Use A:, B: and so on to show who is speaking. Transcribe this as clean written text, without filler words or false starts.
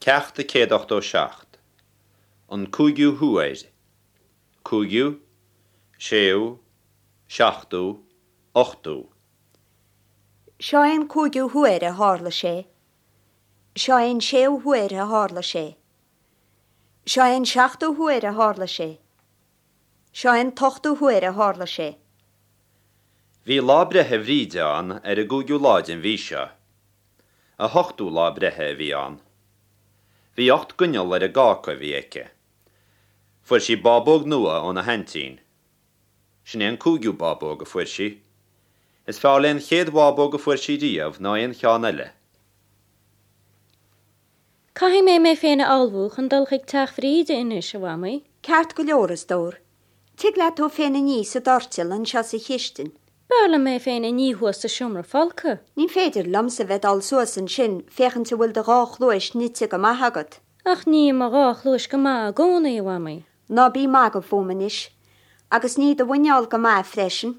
A: Ceacht 187. An cúigiú huair. Cúigiú, séú, seachtú, ochtú.
B: Seo é an cúigiú huair a tharla sé. Seo é an séú huair a tharla sé. Seo é an seachtú huair a tharla sé. Seo é an t-ochtú huair a tharla sé.
A: Bhí lá breithe Bhríde ann ar an gcúigiú lá den mhí seo. A hochtú lá breithe a bhí ann. Bhí ocht gcoinneal ar an gcáca a bhí aici. Fuair sí bábóg nua óna haintín. Sin é an cúigiú bábóg a fuair sí. Is fearr léi an chéad bhábóg a fuair sí riamh ná aon cheann eile.
C: Caithfidh mé mé féin a ullmhú chun dul chuig teach Bhríde anois, a Mhamaí.
B: Ceart go leor, a stór. Tig leat tú féin a ní sa doirteal anseo sa chistin.
C: B'fhearr liom mé féin a ní thuas sa seomra folctha.
B: Ní féidir liomsa bheith dul suas ansin féachaint an bhfuil do dhá chluais nite go maith agat.
C: Ach ním mo dhá chluais go maith i gcónaí, a Mhamaí.
B: Ná bí ag magadh fúm anois. Agus ní do mhuineál go maith freisin.